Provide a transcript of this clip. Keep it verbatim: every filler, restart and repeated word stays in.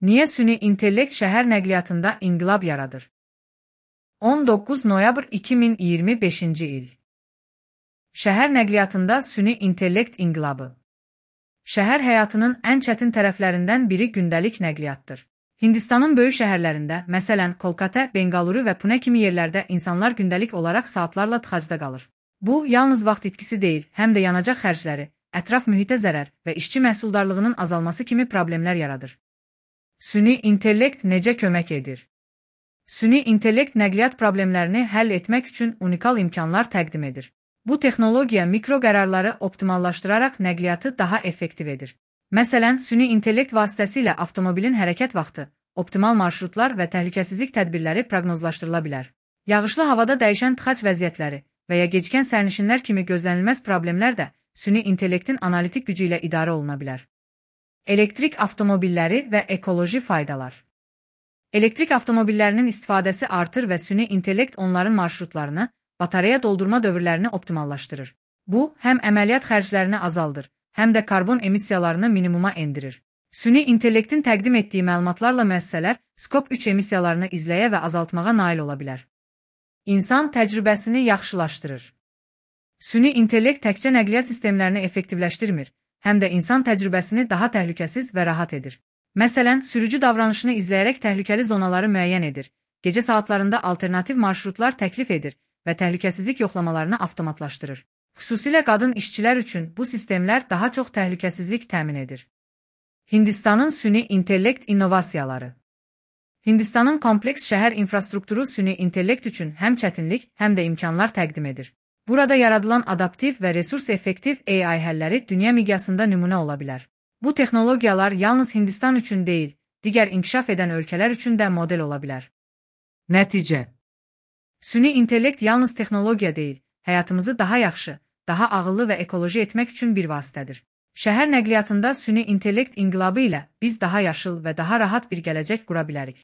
Niyə süni intellekt şəhər nəqliyyatında inqilab yaradır? on doqquz noyabr iki min iyirmi beşinci il. Şəhər nəqliyyatında süni intellekt inqilabı. Şəhər həyatının ən çətin tərəflərindən biri gündəlik nəqliyyatdır. Hindistanın böyük şəhərlərində, məsələn, Kolkata, Bengaluru və Pune kimi yerlərdə insanlar gündəlik olaraq saatlarla tıxacda qalır. Bu, yalnız vaxt itkisi deyil, həm də yanacaq xərcləri, ətraf mühitə zərər və işçi məhsuldarlığının azalması kimi problemlər yaradır. Süni intellekt necə kömək edir? Süni intellekt nəqliyyat problemlərini həll etmək üçün unikal imkanlar təqdim edir. Bu texnologiya mikro qərarları optimallaşdıraraq nəqliyyatı daha effektiv edir. Məsələn, süni intellekt vasitəsilə avtomobilin hərəkət vaxtı, optimal marşrutlar və təhlükəsizlik tədbirləri proqnozlaşdırıla bilər. Yağışlı havada dəyişən tıxac vəziyyətləri və ya gecikən sərnişinlər kimi gözlənilməz problemlər də süni intellektin analitik gücü ilə idarə oluna bilər. Elektrik avtomobilləri və ekoloji faydalar. Elektrik avtomobillərinin istifadəsi artır və süni intellekt onların marşrutlarını, batareya doldurma dövrlərini optimallaşdırır. Bu, həm əməliyyat xərclərini azaldır, həm də karbon emissiyalarını minimuma endirir. Süni intellektin təqdim etdiyi məlumatlarla müəssisələr skop üç emissiyalarını izləyə və azaltmağa nail ola bilər. İnsan təcrübəsini yaxşılaşdırır. Süni intellekt təkcə nəqliyyat sistemlərini effektivləşdirmir, həm də insan təcrübəsini daha təhlükəsiz və rahat edir. Məsələn, sürücü davranışını izləyərək təhlükəli zonaları müəyyən edir, gecə saatlarında alternativ marşrutlar təklif edir və təhlükəsizlik yoxlamalarını avtomatlaşdırır. Xüsusilə qadın işçilər üçün bu sistemlər daha çox təhlükəsizlik təmin edir. Hindistanın süni intellekt innovasiyaları. Hindistanın kompleks şəhər infrastrukturu süni intellekt üçün həm çətinlik, həm də imkanlar təqdim edir. Burada yaradılan adaptiv və resurs-effektiv A I həlləri dünya miqyasında nümunə ola bilər. Bu texnologiyalar yalnız Hindistan üçün deyil, digər inkişaf edən ölkələr üçün də model ola bilər. Nəticə. Süni intellekt yalnız texnologiya deyil, həyatımızı daha yaxşı, daha ağıllı və ekoloji etmək üçün bir vasitədir. Şəhər nəqliyyatında süni intellekt inqilabı ilə biz daha yaşıl və daha rahat bir gələcək qura bilərik.